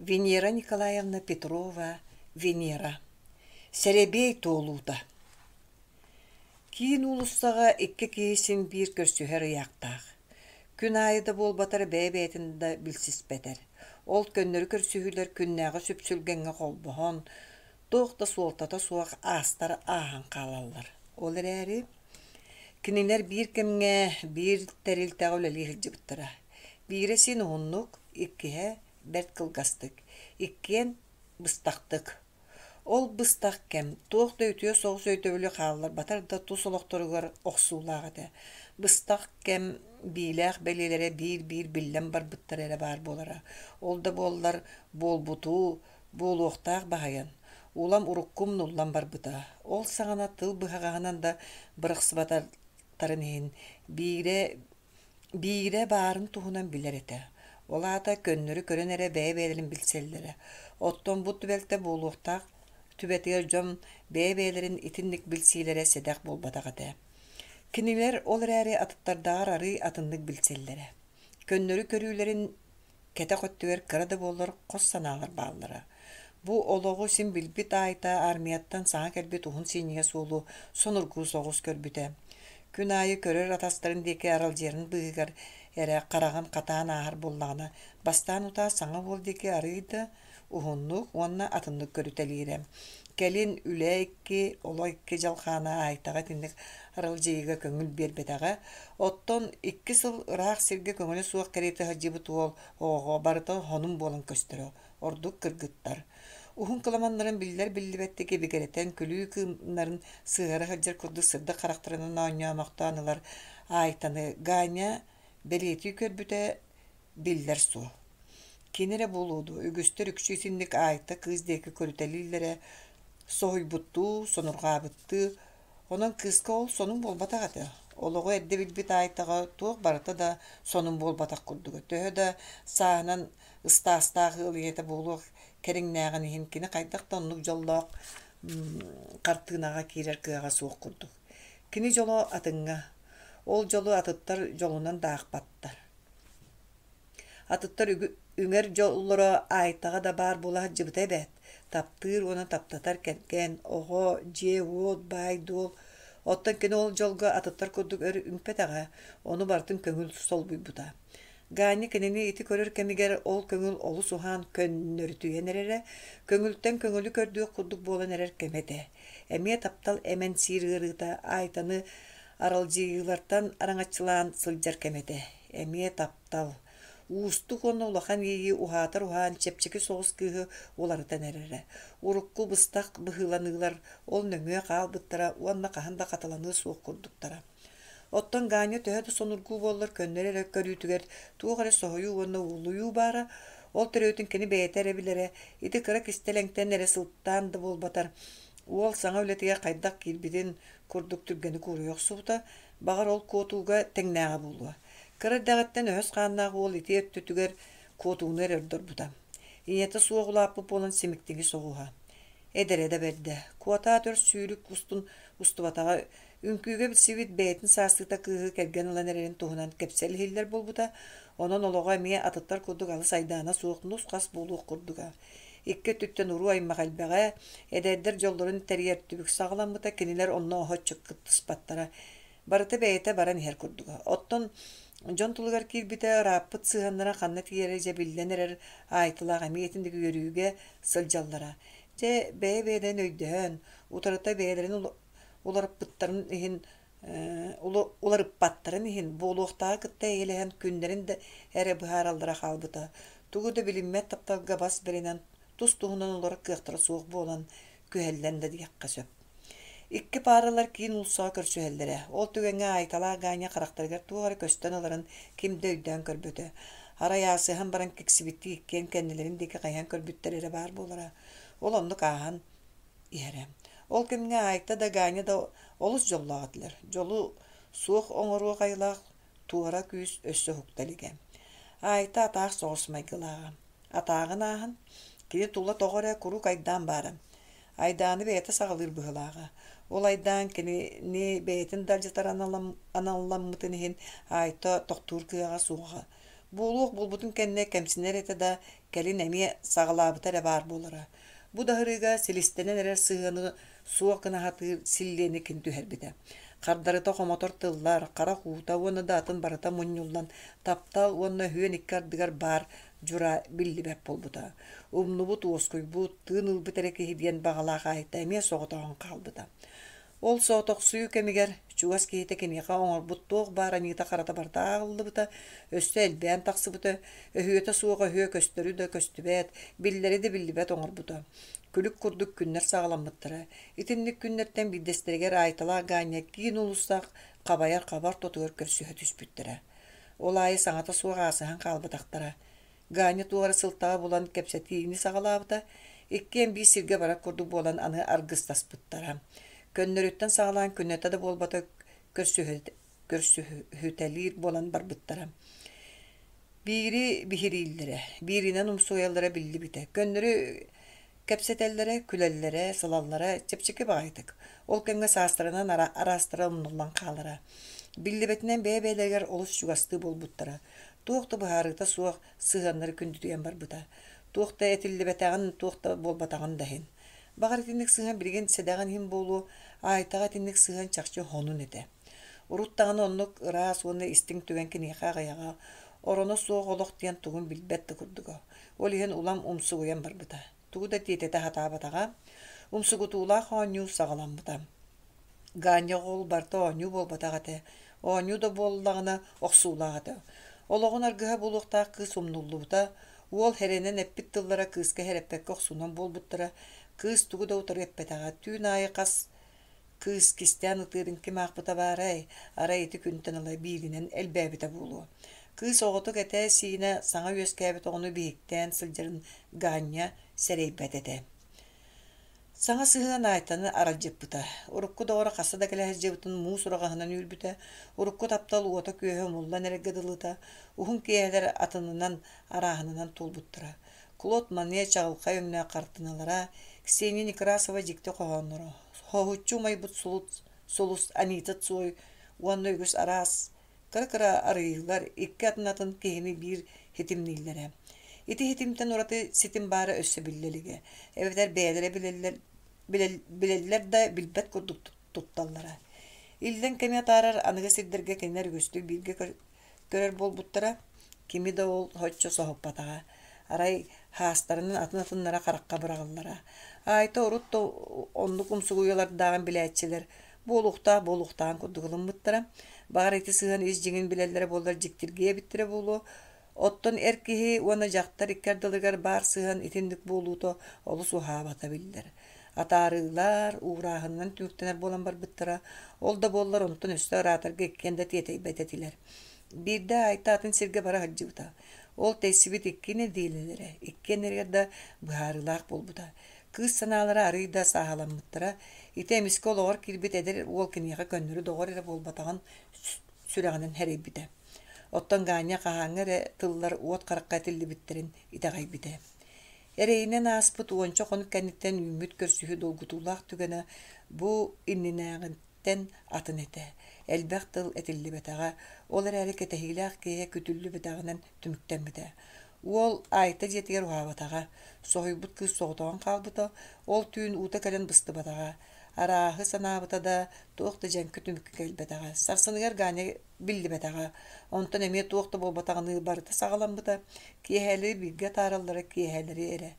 Венера Николаевна Петрова Венера Сэрэбиэй туолуута Киин уулуссаҕа икки киһи син биир көрсүһэр ыйаахтаах. Күн аайы да буолбатар бэйэ-бэйэтин да билсиспэтэр. Ол көннөрү көрсүһүүлэр күннээҕи сүпсүлгэҥҥэ холбоһон, туох да суолтата суох аастар ааһан хаалаллар. Ол эрээри кинилэр биир кэмҥэ биир тэрилтэҕэ үлэлии сылдьыбыттара. Биирэ син уһуннук, иккиһэ бэрт кылгастык, иккиэн быстахтык. Ол быстах кэм туох да үтүө соҕус өйдөбүлү хаалларбатар да тус олохторугар охсуулаах этэ. Быстах кэм биилээх бэлиэлэрэ биир-биир биллэн барбыттара эрэ баар буолара. Ол да буоллар буолбуту, буолуохтаах баһыйан, улам урукку умнуллан барбыта. Ол саҕана тыл быһаҕаһынан да бырахсыбатахтарын иһин биирэ Биирэ баарын туһунан билэр этэ, ол аата көннөрү көрөн эрэ бэйэ-бэйэлэрин билсэллэрэ. Оттон бу түбэлтэ буолуохтаах түбэтигэр дьон бэйэ-бэйэлэрин итинник билсиилэрэ сэдэх буолбатах этэ. Кинилэр ол эрээри атыттардааҕар арыый атыннык билсэллэрэ. Көннөрү көрүүлэрин Кэтэх өттүгэр кыра да буоллар хос санаалар бааллара. Бу олоҕу син билбит Аайта аармыйаттан саҥа кэлбит уһун синньигэс уолу сонургуу соҕус көрбүтэ. Күн аайы көрөр атастарын диэки аралдьыйарын быыһыгар эрэ хараҕын хатаан ааһар буоллаҕына, бастаан утаа саҥа уол диэки арыый да уһуннук уонна атыннык көрүтэлиирэ. Кэлин үлэ икки, олох икки дьалхаана Аайтаҕа итинник аралдьыйыыга көҥүл биэрбэтэҕэ. Оттон икки сыл ыраах сиргэ көҥүлэ суох кэриэтэ сылдьыбыт уол оҕоҕо барыта хонун буолан көстөрө, ордук кыргыттар. Уһун кыламаннарын биллэр-биллибэттик ибигирэтэн күлүү кыымнарын сыһыара сылдьар курдук сырдык харахтарынан оонньоомохтоон ылар Аайтаны Ганя бэлиэтии көрбүтэ биллэр суол. Кини эрэ буолуо дуо, үгүстэр үксү итинник Аайта кыыс диэки көрүтэлииллэрэ соһуйбуттуу, сонурҕаабыттыы. Онон кыыска ол сонун буолбатах этэ. Олоҕу эрдэ билбит Аайтаҕа туох барыта да сонун буолбатах курдуга. Төһө да сааһынан ыстаастаах ыал ийэтэ буолуох кэриҥнээҕин иһин кини хайдах да оннук дьоллоох хартыынаҕа киирэр кыаҕа суох курдук. Кини дьоло атыҥҥа. Ол дьолу атыттар дьолунан да аахпаттар. Атыттар үҥэр дьоллоро Аайтаҕа да баар буола сылдьыбыта эбээт: таптыыр уонна таптатар кэргэн, оҕо, дьиэ-уот, баай-дуол. Оттон кини ол дьолго атыттар курдук өр үҥпэтэҕэ, ону барытын көҥүл солбуйбута. Ганя кинини ити көрөр кэмигэр ол көҥүл олус уһаан көннөрүтүйэн эрэрэ, көҥүлтэн көҥүлү көрдүөх курдук буолан эрэр кэмэ этэ. Эмиэ таптал эмэн сиир ыарыыта Аайтаны аралдьыйыылартан араҥаччылаан сылдьар кэмэ этэ. Эмиэ таптал. Уустук уонна улахан иэйии уһаатар уһаан чэпчэки соҕус кыыһы уларытан эрэрэ. Урукку быстах быһыыланыылар ол нөҥүө хаалбыттара уонна хаһан да хатыланыа суох курдуктара. Оттон Ганя төһө да сонургуу буоллар көннөрү эрэ көрүүтүгэр туох эрэ соһуйуу уонна уолуйуу баара, ол төрүөтүн кини бэйэтэ эрэ билэрэ, ити кыра кистэлэҥтэн эрэ сылтаан да буолбатар, уол саҥа үлэтигэр хайдах киирбитин курдук түргэнник уоруйа охсубута, Баҕар, ол куотууга тэҥнээҕэ буолуо. Кыра эрдэҕиттэн өһөс хааннаах уол ити өттүтүгэр куотууну эрэ ордорбута. Ийэтэ суох улааппыт буолан симиктиҥи соҕуһа. Эдэрэ да бэрдэ. Куотаат өр сүүрүк устун устубатаҕа, үҥкүүгэ билсибит бэйэтин саастыыта кыыһы кэргэн ылан эрэрин туһунан кэпсэл иһиллэр буолбута. Онон олоҕо эмиэ атыттар курдук алыс айдаана суох нус-хас буолуох курдуга. Икки өттүттэн уруу-аймах элбэҕэ, эдэрдэр дьоллорун тэрийэр түбүк саҕаламмыта, кинилэр онно оһоччу кыттыспаттара. Барыта бэйэтэ баран иһэр курдуга. Оттон дьон тулугар киирбитэ ырааппыт сыһыаннара ханна тиийэрэ дьэ биллэн эрэр Аайтылаах эмиэ итинник үөрүүгэ сылдьаллара. Дьэ, бэйэ-бэйэлэрин өйдөһөн, утарыта бэйэлэрин уларыппыттарын иһин уларыппаттарын иһин буолуохтааҕы кытта эйэлэһэн күннэрин да эрэ быһаараллара хаалбыта. Тугу да билиммэт тапталга бас бэринэн тус-туһунан олорор кыахтара суох буолан, күһэллэн да диэххэ сөп. Икки пааралар киин уулуссаҕа көрсүһэллэрэ. Ол түгэҥҥэ Аайталаах Ганя харахтарыгар туох эрэ көстөн ыларын ким да өйдөөн көрбөтө. Арай аасыһан баран киксибиттии иккиэн кэннилэрин диэки хайыһан көрбүттэр эрэ баар буолара. Ол оннук ааһан иһэрэ. Ол кэмҥэ Айта да, Ганя да олус дьоллоох этилэр. Дьолу суох оҥоруох айылаах туора күүс өссө уһукта илигэ. Айта атаах соҕус майгылааҕа. Атааҕын ааһан, кини тула тоҕо эрэ куруук айдаан баара. Айдааны бэйэтэ саҕалыыр быһыылааҕа. Ол айдаан кинини бэйэтин да алдьатар аналламмытын иһин Айта тохтуур кыаҕа суоҕа. Буолуох буолбутун кэннэ кэмсинэр этэ да, кэлин эмиэ саҕалаабыта эрэ баар буолара. Бу да сырыыга силистэнэн эрэр сыһыаны суох гына сатыыр силлиэни кини түһэрбитэ. Хардарыта хомотор тыллар, харах уута уонна да атын барыта мунньуллан, таптал уонна өһүөн икки ардыгар баар дьураа биллибэт буолбута. Умнубут, уоскуйбут, тыын ылбыт эрэ киһи диэн баҕалаах Айта эмиэ соҕотоҕун хаалбыта. Ол соҕотохсуйуу кэмигэр чугас киһитэ киниэхэ оҥорбут туох баар аньыыта-харата барыта ааҕыллыбыта, өссө элбээн тахсыбыта, өһүөтэ суох өһүө көстөрү да көстүбэт, биллэри да биллибэт оҥорбута. Күлүк курдук күннэр саҕаламмыттара. Итинник күннэртэн биирдэстэригэр Аайталаах Ганя киин уулуссаҕа хабайар хаба ортотугар көрсүһэ түспүттэрэ. Ол аайы саҥата суох аасыһан хаалбатахтара. Ганя туох эрэ сылтаҕа булан кэпсэтиини саҕалаабыта, иккиэн биир сиргэ барар курдук буолан аны аргыстаспыттара. Көннөрүттэн саҕалаан күннэтэ да буолбата көрсүһүтэлиир буолан барбыттара. Биири биһирииллэрэ, бииринэн умсугуйаллара биллибитэ. Көннөрү кэпсэтэллэрэ, күлэллэрэ, сылаллара чэпчэки баҕайытык. Ол кэмҥэ саастарынан араастара умнуллан хаалара. Биллибэтинэн бэйэ-бэйэлэригэр олус чугастыы буолбуттара. Туох да быһаарыыта суох сыһыаннары күндүтүйэн барбыта. Туох да этиллибэтэҕин, туох да буолбатаҕын да иһин. Баҕар итинник сыһыан билигин сэдэҕин иһин буолуо, Аайтаҕа итинник сыһыан чахчы хонун этэ. Урут даҕаны оннук ыраас уонна истиҥ түгэн киниэхэ аҕыйаҕа, ороно суох олох диэн тугун билбэт да курдуга. Ол иһин улам умсугуйан барбыта. Тугу да тиэтэтэ сатаабатаҕа. Умсугутуулаах оонньуу саҕаламмыта. Ганя ол барыта оонньуу буолбатах этэ. Оонньуу да буоллаҕына охсуулаах этэ. Олоҕун аргыһа буолуохтаах кыыс умнуллубута. Уол эрэнэн эппит тыллара кыыска сэрэппэккэ охсуунан буолбуттара. Кыыс тугу да утары эппэтэҕэ. Түүн аайы хас кыыс кистээн ытыырын ким аахпыта баарай, арай ити күнтэн ыла бииринэн элбээбитэ буолуо. Кыыс оҕотук этэ-сиинэ саҥа үөскээбит оҕону биһиктээн сылдьарын Ганя сэрэйбэт этэ. Саҥа сыһыан Айтаны аралдьыппыта. Урукку доҕоро хаста да кэлэ сылдьыбытын муус ураҕаһынан үүрбүтэ, урукку таптал уота-күөһэ умуллан эрэргэ дылыта, уһун киэһэлэр атынынан, арааһынынан туолбуттара. Клод Мане чаҕылхай өҥнөөх хартыыналара, Ксения Некрасова дьикти хоһоонноро, хоһуччу умайбыт сулус Анита Цой уонна үгүс араас кыра-кыра арыйыылар икки атын-атын киһини биир ситимнииллэрэ. Ити ситимтэн ураты ситим баара өссө биллэ илигэ, эбэтэр бэйэлэрэ билэллэр, билэллэр да билбэт курдук тутталлара. Иллэҥ кэми атаарар аныгы сирдэргэ кинилэр үгүстүк бииргэ көрөр буолбуттара, кими да ол соччо соһуппатаҕа. Арай хаастарынан атын-атыннара харахха быраҕыллара. Аайта урут да оннук умсугуйалардааҕын билээччилэр буолуохтаах буолуохтааҕын курдук ылыммыттара. Баҕар ити сыһыан ис дьиҥин билэллэрэ буоллар дьиктиргиэ эбиттэрэ буолуо. Оттон эр киһи уонна дьахтар икки ардыларыгар баар сыһыан итинник буолуута олус уһаабата биллэр. Атаарыылар, уурааһынынан түмүктэнэр буолан барбыттара. Ол да буоллар онтон өссө ыраатарга иккиэн да тиэтэйбэт этилэр. Биирдэ Айта атын сиргэ бара сылдьыбыта. Ол тэйсибит икки нэдиэлэлэрэ иккиэннэригэр да быһаарыылаах буолбута. Кыыс санаалара арыый да сааһыламмыттара. Ити эмискэ олоҕор киирбит эдэр уол киниэхэ көннөрү доҕор эрэ буолбатаҕын сүрэҕинэн сэрэйбитэ. Оттон Ганя хаһааҥҥы эрэ тыллар уот харахха этиллибиттэрин итэҕэйбитэ. Эрэйинэн ааспыт уонча хонук кэнниттэн үүммүт көрсүһүү долгутуулаах түгэнэ бу иннинээҕиттэн атын этэ. Элбэх тыл этиллибэтэҕэ, ол эрээри кэтэһиилээх киэһэ күтүллүбэтэҕинэн түмүктэммитэ. Уол Айта дьиэтигэр уһаабатаҕа, соһуйбут кыыс соҕотоҕун хаалбыта, ол түүн уута кэлэн быстыбатаҕа. Арааһы санаабыта да, туох да дьэҥкэ түмүккэ кэлбэтэҕэ. Сарсыныгар Ганя биллибэтэҕэ. Онтон эмиэ туох да буолбатаҕыныы барыта саҕаламмыта. Киэһэлэри бииргэ атаараллара киэһэлэри эрэ.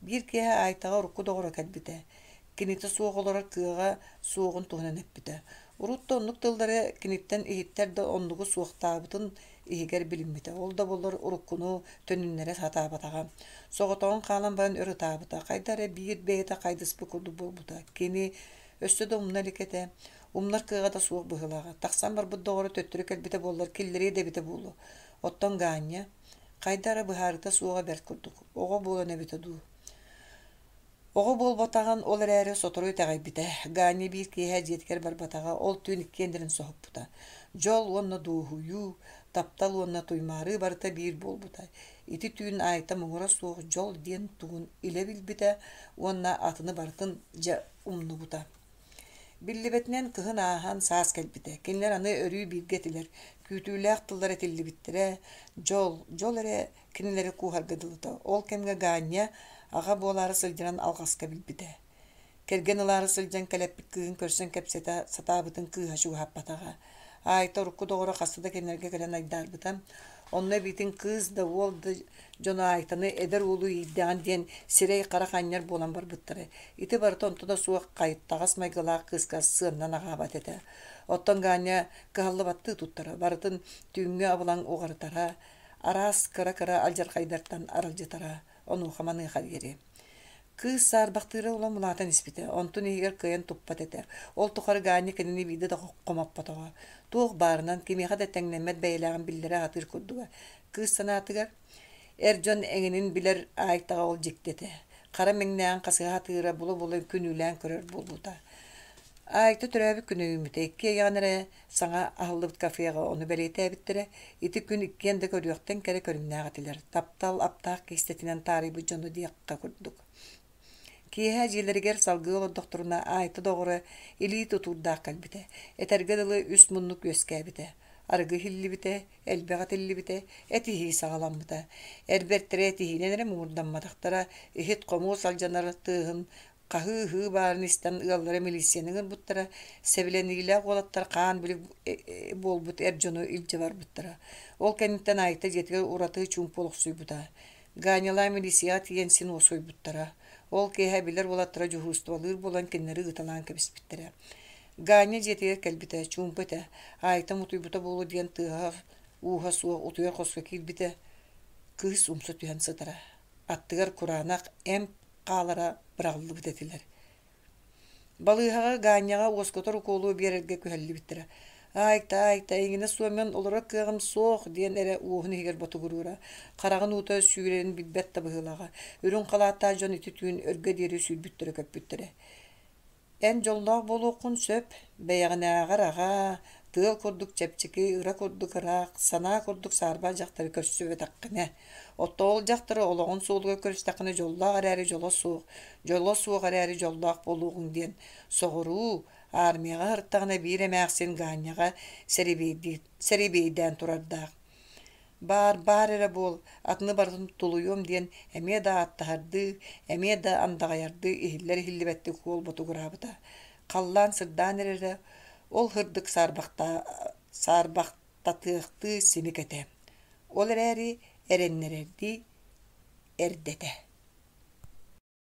Биир киэһэ Айтаҕа урукку доҕоро кэлбитэ. Кинитэ суох олорор кыаҕа суоҕун туһунан эппитэ. Урут да оннук тыллары киниттэн иһиттэр да оннугу суохтаабытын иһигэр билиммитэ. Ол да буоллар уруккуну төнүннэрэ сатаабатаҕа. Соҕотоҕун хаалан баран өр ытаабыта. Хайда эрэ биир бэйэтэ хайдыспыт курдук буолбута. Кини өссө да умна илик этэ. Умнар кыаҕа да суох быһыылааҕа. Тахсан барбыт доҕоро төттөрү кэлбитэ буоллар киллэриэ да эбитэ буолуо. Оттон Ганя хайда эрэ быһаарыыта суоҕа бэрт курдук. Оҕо буолан эбитэ дуу. Оҕо буолбатаҕын ол эрээри сотору итэҕэйбитэ. Ганя биир киэһэ дьиэтигэр барбатаҕа, ол түүн иккиэннэрин соһуппута. Дьол уонна дуоһуйуу, таптал уонна туймаарыы барыта биир буолбута. Ити түүн Айта муҥура суох дьол диэн тугун илэ билбитэ уонна атыны барытын дьэ умнубута. Биллибэтинэн кыһын ааһан саас кэлбитэ. Кинилэр аны өрүү бииргэ этилэр, күүтүүлээх тыллар этиллибиттэрэ, дьол, дьол эрэ кинилэри кууһарга дылыта. Ол кэмҥэ Ганя аҕа буолаары сылдьарын алҕаска билбитэ. Кэргэн ылаары сылдьан кэлэппит кыыһын көрсөн кэпсэтэ сатаабытын кыыһа чугаһаппатаҕа. Аайта урукку доҕоро хаста да кинилэргэ кэлэн айдаарбыта. Онно эбиитин кыыс да, уол да дьоно Аайтаны эдэр уолу иирдэҕин диэн сирэй-харах анньар буолан барбыттара. Ити барыта онто да суох хайыттаҕас майгылаах кыыска сыаннан аҕаабат этэ. Оттон Ганя кыһаллыбаттыы туттара, барытын түүҥҥү абылаҥ уҕарытара, араас кыра-кыра алдьархайдартан аралдьытара, онуоха-маныаха диэри. Кыыс саарбахтыыра улам улаатан испитэ, онтун иһигэр кыайан туппат этэ. Ол тухары Ганя кинини биирдэ да хомоппотоҕо. Туох баарынан, кимиэхэ да тэҥнэммэт бэйэлээҕин биллэрэ сатыыр курдуга. Кыыс санаатыгар, эр дьон эҥинин билэр Аайтаҕа ол дьикти этэ. Хара мэҥнээҕин хасыһа сатыыра, була-була күнүүлээн көрөр буолбута. Аайта төрөөбүт күнэ үүммүтэ. Иккиэйэҕин эрэ саҥа аһыллыбыт кафеҕа ону бэлиэтээбиттэрэ. Ити күн иккиэн да көрүөхтэн кэрэ көрүҥнээх этилэр. Таптал аптаах киистэтинэн таарыйбыт дьону диэххэ курдук. Киэһэ дьиэлэригэр салгыы олордохторуна Аайта доҕоро илии тутуурдаах кэлбитэ. Этэргэ дылы үс муннук үөскээбитэ. Арыгы иһиллибитэ, элбэх этиллибитэ, этиһии саҕаламмыта. Эр бэртэрэ этиһиинэн эрэ муҥурдамматахтара, иһит-хомуос алдьанар тыаһын хаһыы-ыһыы баарын истэн ыаллара милииссийэни ыҥырбыттара, сэбилэниилээх уолаттар хаан-билик буолбут эр дьону илдьэ барбыттара. Ол кэнниттэн Айта дьиэтигэр ураты чуумпу олохсуйбута. Ганялаах милииссийэҕэ тиийэн син уоскуйбуттара. Ол киэһэ билэр уолаттара дьуһуурустубалыыр буолан кинилэри ыыталаан кэбиспиттэрэ. Ганя дьиэтигэр кэлбитэ, чуумпу этэ. Айта утуйбута буолуо диэн тыаһа-ууһа суох утуйар хоско киирбитэ, кыыс умса түһэн сытара. Аттыгар кураанах эмп хаалара быраҕыллыбыт этилэр. Балыыһаҕа Ганяҕа уоскутар укуолу биэрэргэ күһэллибиттэрэ. «Айта, Айта, эйигинэ суоммун олорор кыаҕым суох» диэн эрэ уоһун иһигэр ботугуруура. Хараҕын уута сүүрэрин билбэт да быһыылааҕа. Үрүҥ халааттаах дьон ити түүн өргө диэри сүүрбүттэрэ-көппүттэрэ. Эн дьоллоох буолуоххун сөп, бэйэҕинээҕэр аҕаа, тыал курдук чэпчэки, ыра курдук ыраах, санаа курдук саарбах дьахтары көрсүбэтэххинэ. Оттон ол дьахтары олоҕун суолугар көрүстэххинэ дьоллоох эрээри дьоло суох, дьоло суох эрээри дьоллоох буолуоҕуҥ диэн соҕуруу, армияҕа сырыттаҕына биир эмээхсин Гаанньаҕа сэрэбиэйдээн турардаах. Баар, баар эрэ буол, атыны барытын тулуйуом диэн эмиэ да ааттаһардыы, эмиэ да андаҕайардыы иһиллэр-иһиллибэттик уол ботугураабыта. Халлаан сырдаан эрэрэ, ол һырдык саарбахтатыахтыы симик этэ. Ол эрээри эрэннэрэрдии эрдэтэ.